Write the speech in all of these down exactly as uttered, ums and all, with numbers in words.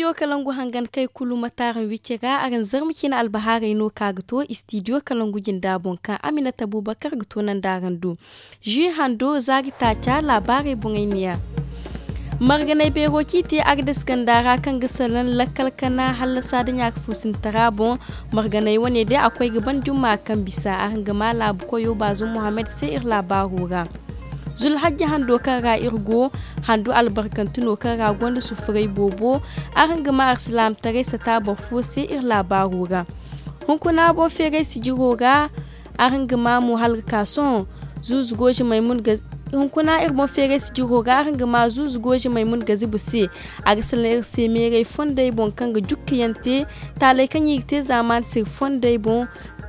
Istidiyo kalangu hangan kay kulu mataaraŋ wicce ga araŋ zarma ciine albahaarey no ka ga to istidiyo kalangu jinda boŋ kaŋ aminata bubakar ga to nanda araŋ do. Zui hando zaari taaca laabaarey boŋey neeya. Marganay beero ci te agdes ganda ra kaŋ ga salaŋ lakkal kana hallasa da ɲaaka fuusintara boŋ. Marganay wane day a koy ga ban jumma kaŋ bisa araŋ ga ma laabu koyo baazum muhammad se iri laabaaro ra. Zulhajji hando kaŋ ra iri go handu albarkanti no kaŋ ra gonda sufuray boobo. Araŋ ga ma arsilaamataray sata boro fo se iri laabaaro ra. Hunkuna boŋ feeray sijiro ra. Araŋ ga ma mo hala ga ka sohõ zuuzu gooji maymun ga hunkuna iri boŋ feeray sijiro ga araŋ ga ma zuuzu gooji maymun ga zibu se. A ga salaŋ iri se meeray fondey boŋ kaŋ ga jukkiyaŋ te taaley kaŋ i ga te zaamaani se iri fondey boŋ.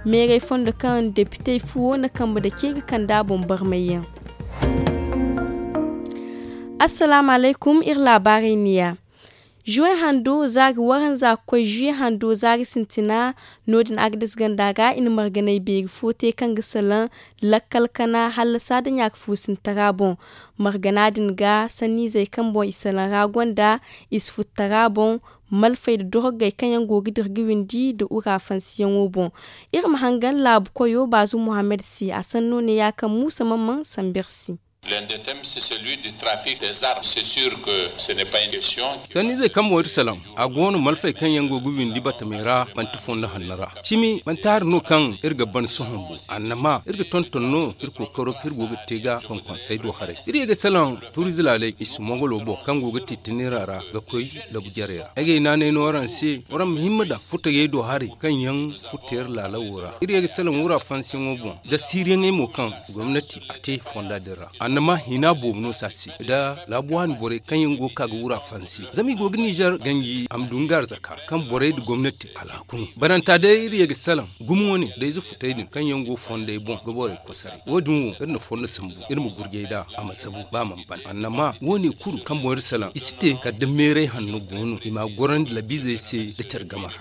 Meeray fondo kaŋ depitey fuwo na kambe da ce ga kand'a boŋ barmayyaŋ. Assalaamu alaykum iri laabaarey neeya. Juwe hando zaari waranza ga koy juwe hando zaari sintina. No- din agdes ganda ga i na marganay beeri fo te kaŋ ga salaŋ lakkal kana hallasa da ɲaaka fuusintara boŋ. Margana din ga sanniizey kaŋ boŋ i salaŋ ra gonda i si futtara boŋ. Malfey nda dorogey kaŋ yaŋ go ga dira ga windi nda ura fansiyaŋo boŋ. Iri ma hangan laabu koyo baazum muhammad se a sanno ne ya kaŋ muusa mamman sambu iri se. Sanniizey kaŋ boŋ iri salaŋ a go no malfey kaŋ yaŋ go ga windi batamey ra manti fondo hanno ra. Cimi manti hari no kaŋ iri ga ban sohõ bo annama iri ga tonton no iri kookaro kaŋ iri go ga te ga konkonsey do haray iri ye ga salaŋ. Tuurize laaley i si mogolo boŋ kaŋ go ga te tinira ra ga koy labu jarey ra ay ga ay naanay no araŋ se. Waraŋ ma himma daŋ futayey do haray kaŋ yaŋ futa iri laalawo ra iri ye ga salaŋ wura fansiyaŋo boŋ da siiriyaŋey mo kaŋ gomnati a te fonda din ra. Annama hina boobo no se a se nda laabu waani borey kaŋ yaŋ go ga ka ga wura fansi zama i go ga nizer ganji a ma du nga arzaka kaŋ borey nda gomnati alhaku no. Baranta day iri ye ga salaŋ gumo wane da ize futey din kaŋ yaŋ go fondey boŋ ga borey kosaray wo- din wo iri na fondo sambu iri ma gurjay nd'a a ma zabu ba a mana ban annama wo- ne kulu kaŋ boŋ iri salaŋ i si te kala da meeray hanno go no i m'a gorandi labiizey se nda care game ra.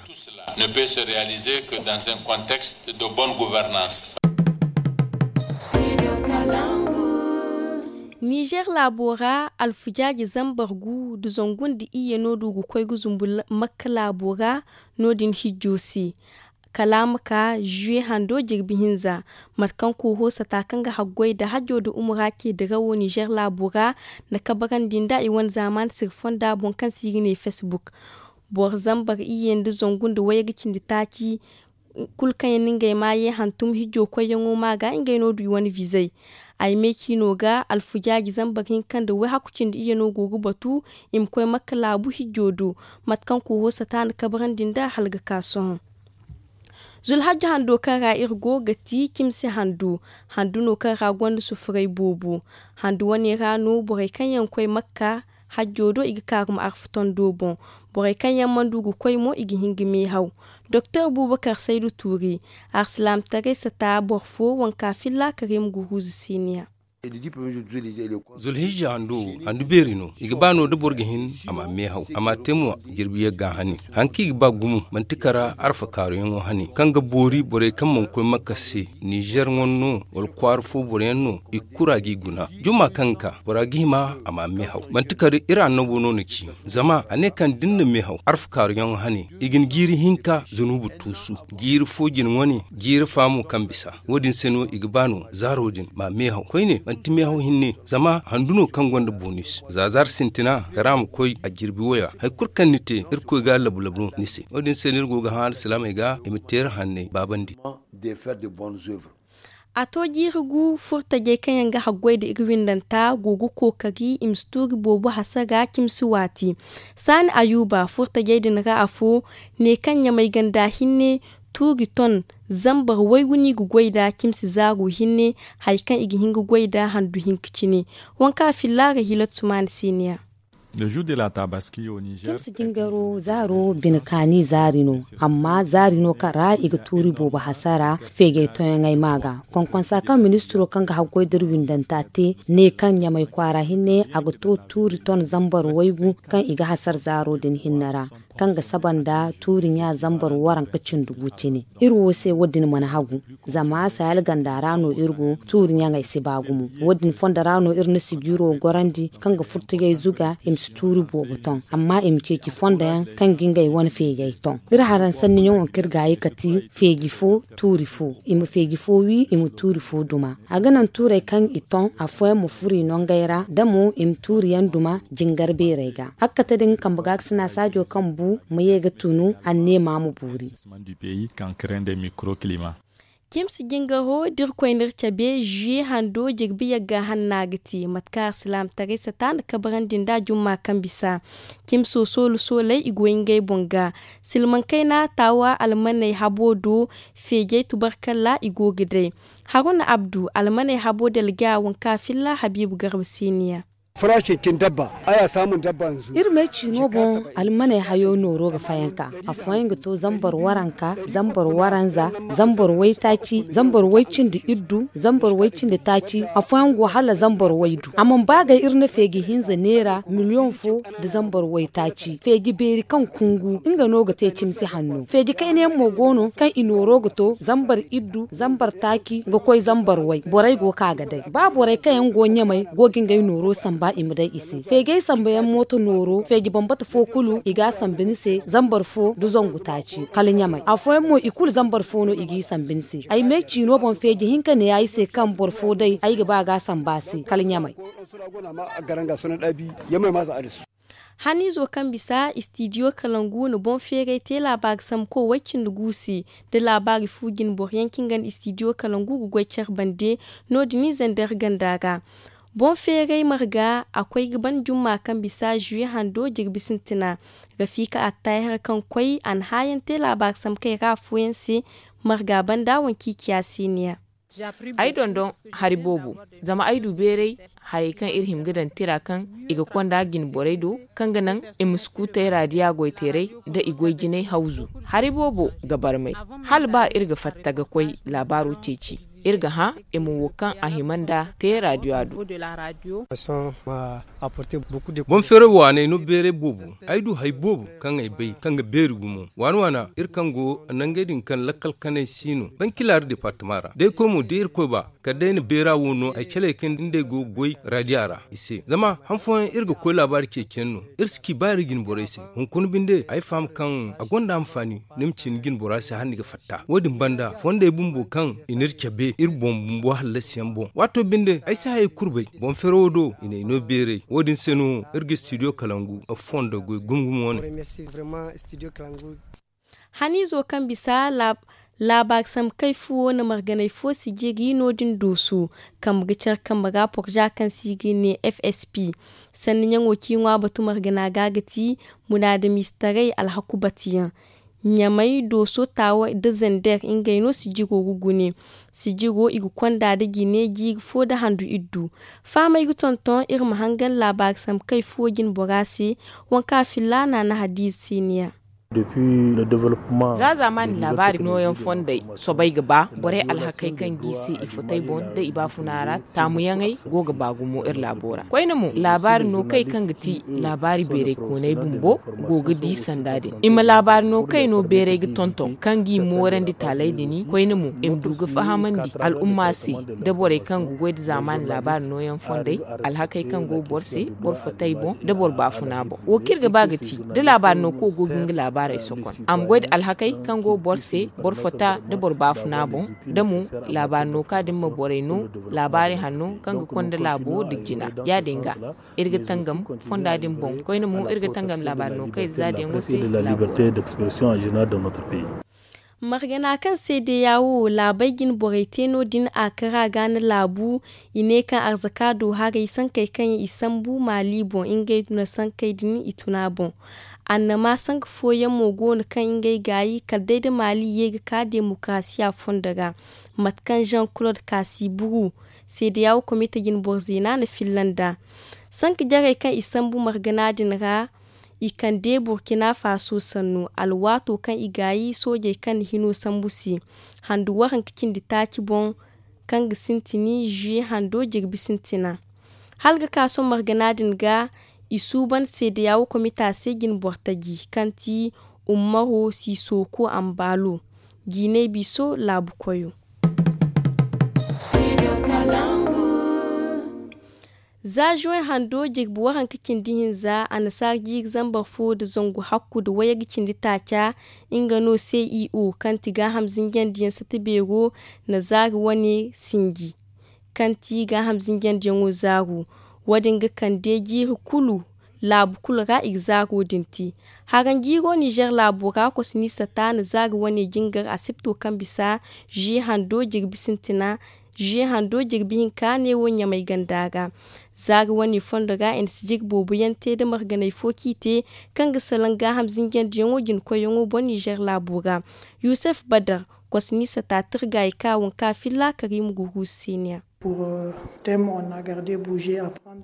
Ne peut se réaliser que dans un contexte de bonne gouvernance. Nizer laabo ra alfujaaji zambar gu nda zangu nda iyye no du ga koy ga zumbu makka laabo ra. No- din hijjo se kala a ma ka zuwe hando jirbi hinza. Mate kaŋ kooho sata kaŋ ga haggoy nda hajjo nda umura ce dirawo nizer laabo ra na kabarandi nd'a i wane zaamaani sira fonda boŋ kaŋ se i ga ne facebook. Boro zambar iyye nda zangu nda wayga cindi taaci kulu kaŋ yaŋ no ngey ma ye hantum hijjo koyyaŋo ma ga ngey no du i wane vizey. Ay me ciino ga alfujaaji zambar hinka nda wayhaku cindi iyye no go ga batu i ma koy makka laabu hijjo do. Mate kaŋ kooho sata na kabarandi nd'a hala ga ka sohõ. Zulhajja hando kaŋ ra iri go ga ti cimsi handu. Handu no kaŋ ra gonda sufuray boobo. Handu wane ra no borey kaŋ yaŋ koy makka hajjo do i ga kaarum arfa tondo boŋ. Borey kaŋ yaŋ mana du ga koy mo i ga hin ga meehaw. Doktor buubakar saydu tuuri arsilaamataray sata boro fo wanka filla karim guruuzu siiniya. Zulhijja hando wo handu beeri no i ga ba no da boro ga hin a ma meehaw a ma te mo jirbi yagga hane. Hari kaŋ i ga ba gumo manti kara arfa kaaruyaŋo hane kaŋ ga boori borey kaŋ mana koy makka se nizer ŋwa no wala kwaara fo boro yaŋ no i ga kura g'i guna. Jumma kaŋ ga ka bora ga hima a ma meehaw manti kara iri annabo no na ci. Zama a ne kaŋ da ni na meehaw arfa kaaruyaŋo hane i ga ni jiiri hinka zunubu tuusu jiiri fo jine wane jiiri fa mo kaŋ bisa. Wo- din se no i ga ba no zaaro din ma meehaw koyne manti meehaw hinne zama handu no kaŋ gonda bonis za zaari sintina kara ma koy a jirbi waya hari kulu kaŋ ni te irkoy ga labu labu no ni se wo- din se no iri go ga hã alsilaamey ga i ma te iri hanney baabandi. A to jiiri gu furtajey kaŋ yaŋ ga haggoy nda iri windanta go ga kookari i ma si tuuri boobo hasara cimsi waati. Saani ayuuba furtajey din ra afo ne kaŋ ɲamay ganda hinne tuuri ton zambar waygu no i ga goy nd'a cimsi zaaru hinne. Hari kaŋ i ga hin ga goy nd'a handu hinka cine. Waŋ kaŋ a filla ra hiilatu sumaana se ne ya. Cimsi jingaro zaaro bine kaani zaari no. Amma zaari no kaŋ ra i ga tuuri boobo hasara feegay toyaŋey ma ga. Konkonsa kaŋ ministiro kaŋ ga haggoy da iri windanta te ne kaŋ ɲamay kwaara hinne a ga to tuuri ton zambar waygu kaŋ i ga hasara zaaro din hinne ra. kaŋ ga saba nda tuuri ɲa zambar waranka cindi gu cine. Iri wo se wo- din mana hagu, zama sayal ganda ra no iri go, tuuri ɲaŋey si ba gumo. Wo- din fondo ra no iri na sijiro gorandi kaŋ ga furtugay zuga i ma si tuuri boobo ton, amma i ma ceeci fondo yaŋ kaŋ ga ngey wane feejey ton. Iri haransanni ɲaŋo kaŋ iri ga ye ka ti feeji fo, tuuri fo, i ma feeji fo wi, i ma tuuri fo duma. A ga naŋ tuurey kaŋ i ton afooyaŋ ma furo i nongey ra, da mo i ma tuuriyaŋ duma jingar beerey ga. Hakkate din kambe ga ga sina saajo kaŋ bu ma ye ga tunu anneema ma boori. Kimsi jingaro da iri koy n'iri cabe, zuye hando jirbi yagga hanna ga te mate kaŋ alsilaamataray sata nda kabarandi nda jumma kaŋ bisa. Kimso soolu sooley i go ngey boŋ ga. Silmaŋ kayna taawa almaney habo do, feejey tubarkalla i go ga day. Haruna abdu almaney habo dalga waŋ kaŋ a filla habiibu garba siiniya. Farashin cin dabba, aya saamun dabba yanzu. Iri me ciino boŋ almaney hayo nooro ga fayanka. Afooyaŋ ga to zambar waranka, zambar waranza, zambar waytaaci, zambar waycindi iddu, zambar waycindi taaci. Afooyaŋ go hala zambar waydu. Amma ba ga iri na feeji hinza neera miliyoŋ fo nda zambar waytaaci. Feeji beeri kaŋ kungu nga no ga te cimsi hanno. Feeji kayna yaŋ mo go no kaŋ i nooro ga to zambar iddu, zambar taaci ga koy zambar way. Borey go ka ga day ba borey kaŋ yaŋ go ɲamay go ga ngey nooro samba i ma day i se. Feejey sambayaŋ mooto nooro feeji bambata fo kulu i ga a sambi ni se zambar fo nda zangu taaci kala ɲamay. Afooyaŋ mo i kulu zambar fo no i g'i sambi ni se. Ay me ciino boŋ feeji hinka ne ay se kaŋ boro fo day ay ga ba ga a samba se kala ɲamay. Haniizo kaŋ bisa istidiyo kalangu na boŋ feeray te laabaari samko way-cindi gu se, da laabaari fu jinboro yaŋ kaŋ ga na istidiyo kalangu ga goy care bande. No- din zandar ganda ra boŋ feeray marga a koy ga ban jumma kaŋ bisa zuye hando jirbi sintina. Rafiika attahir kaŋ koy a na haayaŋ te laabaari samkey ra afooyaŋ se. Marga banda waŋ kaŋ i ciya siiniya. Ay dondon hari boobo, zama ay du beeray harey kaŋ iri hima ga daŋ tira kaŋ i ga konda jinborey do, kaŋ ga naŋ i ma si kutay raadiya goyteeray nda i goy jinay hawzu. Hari boobo ga barmay hala ba iri ga fatta ga koy laabaaro ceeci, iri ga hã i ma wo kaŋ a hima nda te raadiya do. Boŋ feeray waaney no beeray boobo. Ay du hari boobo kaŋ ay bay kaŋ ga beeri gumo waana waana iri kaŋ go nangey din kaŋ lakkal kanay si no bankilari departama ra da ay koy mo da irkoy ba kala day na beera wo no ay caley kaŋ nd'ey go ga goy raadiya ra i se zama han fooyaŋ iri ga koy laabaari ceeciyaŋ no. Iri si ci ba iri jine borey se hunkuna binde ay faham kaŋ a gonda anfaani ni ma ci ni jine bora se hala ni ga fatta wo- din banda fondey bumbo kaŋ i n'iri cabe iri boŋ bumbo hallasiyaŋ boŋ waato binde ay si hayey kulu bay. Boŋ feero wo do i n'ay no beeray wo- din se no iri ga studio kalangu fondo goy gumo gumo wane. Haniizo kaŋ bisa laabaari sambu kay fuwo na marganay fo sijiri no- din dooso kambe ga care kambe ra porza kaŋ se i ga ne f s p. Sanni ɲaŋo kaŋ i ŋwa batu margana ga ga ti munaadamiize taray alhaku batuyaŋ. Ɲamay dooso taawa nda zander ngey no sijiro ga gune. Sijiro i ga konda nda jine jiiri fo nda handu iddu. Fahamay ga tonton iri ma hangan laabaari sambu kay fuwo jine bora se. Waŋ kaŋ a filla naana hadiize se niya. Za zaamaani laabaari nooyaŋ fondey soobay ga ba borey alhakey kaŋ g'i se i fotey boŋ nda i baafuna ra taamuyaŋey go ga ba gumo iri laabo ra koyne mo laabaari nookey kaŋ ga ti laabaari beeraykooney bumbo go ga di sanda din i ma laabaari nookey no beeray ga tonton kaŋ g'i moorandi taaley din koyne mo i ma du ga fahamandi al'umma se nda borey kaŋ ga goy nda zaamaani laabaari nooyaŋ fondey alhakey kaŋ go boro se boro fotey boŋ nda boro baafuna boŋ wo kaŋ iri ga ba ga ti da laabaari nooko go ga nga laabaarey sokon a ma goy nda alhakey kaŋ go boro se boro fota nda boro baafuna boŋ da mo laabaari nooka din ma borey no laabaari hanno kaŋ ga konda laabo nda jina ya- din ga iri ga tangam fonda din boŋ koyne mo iri ga tangam laabaari nookey za da yaŋo se laabo ra. Margana kaŋ se deeya wo laabay jine borey te no- din a kara ga na laabu. I ne kaŋ arzaka do haray sankey kaŋ i sambu maali boŋ ngey duna sankey din i tuna boŋ. Annama sanka fooyaŋ mo go no kaŋ ngey gaayi kala day da maali ye ga ka demokarasiya fondo ra. Mate kaŋ jean claude kasi buru seedeya wo komite jine boro zeena na filla nd'a. Sanka jarey kaŋ i sambu margana din ra i kande burkina faso sannu alwaato kaŋ i gaayi soojey kaŋ na hino sambu se. Handu waranka cindi taaci boŋ kaŋ ga sintini zuye hando jirbi sintina. Hala ga ka sohõ margana din ga I suuban seedeya wo komita se jine boro taji kaŋ ti ummaro sisooko ambaalo jiinay biso laabu koyo. Za zuway hando jirbi waranka cindi hinza annasaara jiiri zambar fo nda zangu hakku nda wayye ga cindi taaca. Nga no se i o kaŋ ti gaaham zinjandiyaŋ sata beero na zaari wane sinji kaŋ ti gaaham zinjandiyaŋo zaaru. Wo- din ga kande jiiri kulu laabu kulu ra i ga zaaro din te. Haranjiiro nizer laabo ra kosni sata na zaari wane jingar asipto kaŋ bisa zuwe hando jirbi sintina. Zuwe hando jirbi hinka neewo ɲamay ganda ra. Zaari wane fondo ra i na si jiri boobo yaŋ te nda marganay fo kaŋ i te kaŋ ga salaŋ gaaham zinjandiyaŋo jina koyyaŋo boŋ nizer laabo ra. Yuusuf badar kosni sata tirgaayi ka wanka filla kariima guruusu se ne a.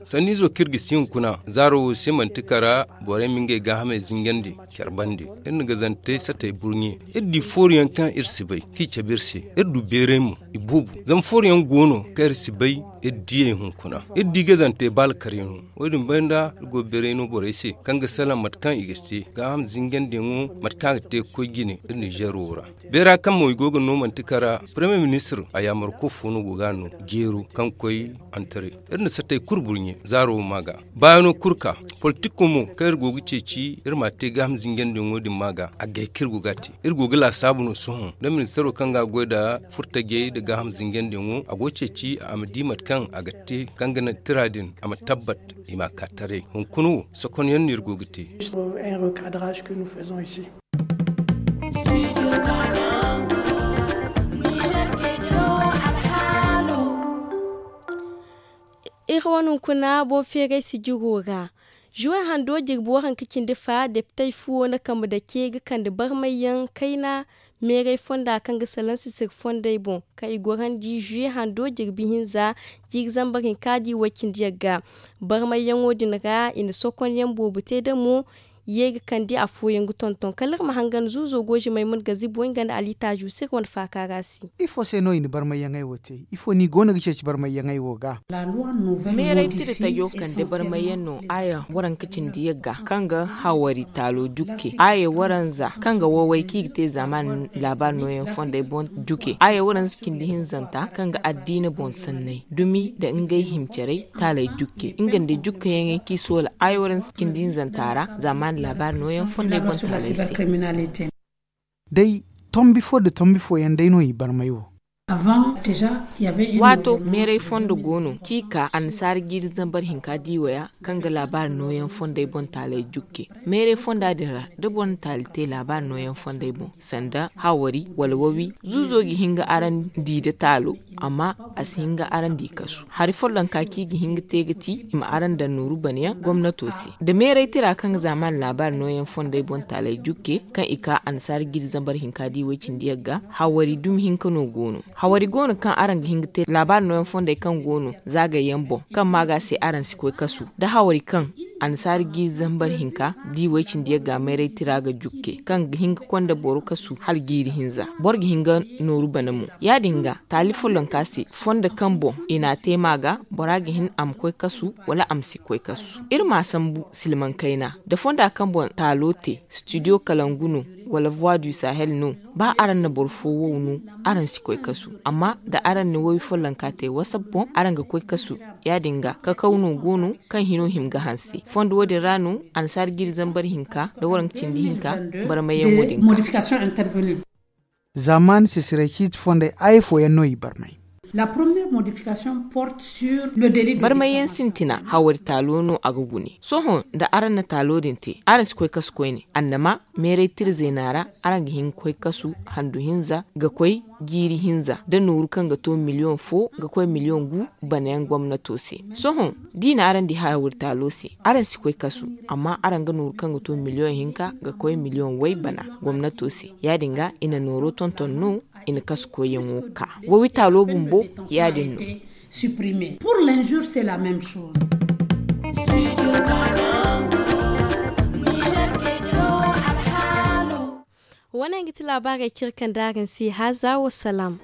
Sanniizo kaŋ iri ga si hunkuna zaaro wo se manti kara borey ma ngey gaahamey zinjandi care bande. Iri na gazantey satey burɲe. Iri di fooruyaŋ kaŋ iri si bay kaŋ i cabe iri se. Iri du beeray mo i boobo. Zama fooruyaŋ go no kaŋ iri si bay iri diyey hunkuna. Iri di gazantey ba alkaryaŋo. Wo- din banda iri go beeray no borey se kaŋ ga salaŋ mate kaŋ i ga te gaaham zinjandiyaŋo mate kaŋ a ga te ga koy jine iri nizer wo ra. Beera kaŋ mo i go ga no manti kara. Paremiye ministir a yaamar ko fo no go ga a no jeero kaŋ koy antare. Iri na satey kulu burɲe zaaro wo ma ga baayano kulu ka. Politiko mo kaŋ iri go ga ceeci iri ma a te gaaham zinjandiyaŋo din ma ga a gay kaŋ iri go ga a te. Iri go ga laasaabu no sohõ nda ministiro kaŋ ga a goy nda furtajey nda gaaham zinjandiyaŋo a go ga ceeci a ma di mate kaŋ a ga te kaŋ ga naŋ tira din a ma tabbat. I ma a ka taray hunkuna wo sokonyaŋ no iri go ga te. Iri wane hunkuna boŋ feeray sijiro ra. Zuwe hando jirbi waranka cindi fa depitey fuwo na kambe dake ga kande barmayyaŋ kayna meeray fonda kaŋ ga salaŋ sisir fondey boŋ kaŋ i gorandi zuwe hando jirbi hinza jiiri zambar hinka da i way cindi yagga. Barmayyaŋo din ra i na sokonyaŋ boobo te damo ye ga kande afooyaŋ ga tonton kala iri ma hangan zuuzo goozimey ma nga zibo nga nda alitaaju se iri wane faaka ra se. Ifo se no i na barmayyaŋey wo te? Ifo no i go no ga ceeci barmayyaŋey wo ga? Meeray tira tajo kande barmayyaŋ no aaya waranka cindi yagga kaŋ ga hawari taalo jukke aaya waranza kaŋ ga waway kaŋ i ga te zaaman laabaari nooyaŋ fondey boŋ jukke aaya waranza cindi hinzanta kaŋ ga addiina boŋ sanney dumi nda ngey himcerey taaley jukke nga nda jukkeyaŋey kaŋ i soola aaya waranza cindi hinzanta ra zaaman laabaari nooyaŋ fondey boŋ taaley se. Day tombi fo nda tombi fooyaŋ day no i barmay wo. Waato meeray fondo go no kaŋ i ka annasaara jiiri zambar hinka diiwaya kaŋ ga laabaari nooyaŋ fondey boŋ taaley jukke. Meeray fonda din ra da boro na taali te laabaari nooyaŋ fondey boŋ sanda hawari wala wawi zuuzo ga hin ga araŋ di nda taalo. Amma a si hin ga araŋ di kasu hari follonka kaŋ i ga hin ga te ga ti i ma araŋ daŋ nooru banayaŋ gomnato se da meeray tira kaŋ ga zaaman laabaari nooyaŋ fondey boŋ taaley jukke kaŋ i ka annasaara jiiri zambar hinka di way cindi yagga. Hawari dumi hinka no go no hawari go no kaŋ araŋ ga hin ga te laabaari nooyaŋ fondey kaŋ go no zaagayyaŋ boŋ kaŋ ma ga se araŋ si koy kasu da hawari kaŋ annasaara jiiri zambar hinka di way cindi yagga meeray tira ga jukke kaŋ ga hin ga konda boro kasu hala jiiri hinza boro ga hin ga nooru bana mo. Ya- din ga taali follonka se fondo kaŋ boŋ i n'a te ma ga bora ga hin a ma koy kasu wala a ma si koy kasu. Iri m'a sambu silmaŋ kayna da fonda kaŋ boŋ taalo te studio kalangu no wala voix du sahel no ba araŋ na boro fo wow no araŋ si koy kasu. Amma da araŋ na woy follonka te wasap boŋ araŋ ga koy kasu. Ya- din ga kakaw no go no kaŋ hino hima ga hanse fondo wo- din ra no annasaara jiiri zambar hinka da waranka cindi hinka barmayyaŋo din ga. Zaaman sisiray ciiti fondey aya fooyaŋ no i barmay. Barmayyaŋ sintina hawari taalo no a ga gune sohõ nda araŋ na taalo din te araŋ si koy kasu koyne annama meeray tira zeena ra araŋ ga hin ga koy kasu handu hinza ga koy jiiri hinza da nooru kaŋ ga to miliyoŋ fo ga koy miliyoŋ gu banayaŋ gomnato se. Sohõ da i na araŋ di hawari taalo se araŋ si koy kasu amma araŋ ga nooru kaŋ ga to miliyoŋ hinka ga koy miliyoŋ way bana gomnato se. Ya- din ga i na nooro tonton no i na kasu koyyaŋo ka wawi taalo bumbo. Ya- din no. Wane nga ti laabaarey cire kaŋ da araŋ se haaza wa salaam.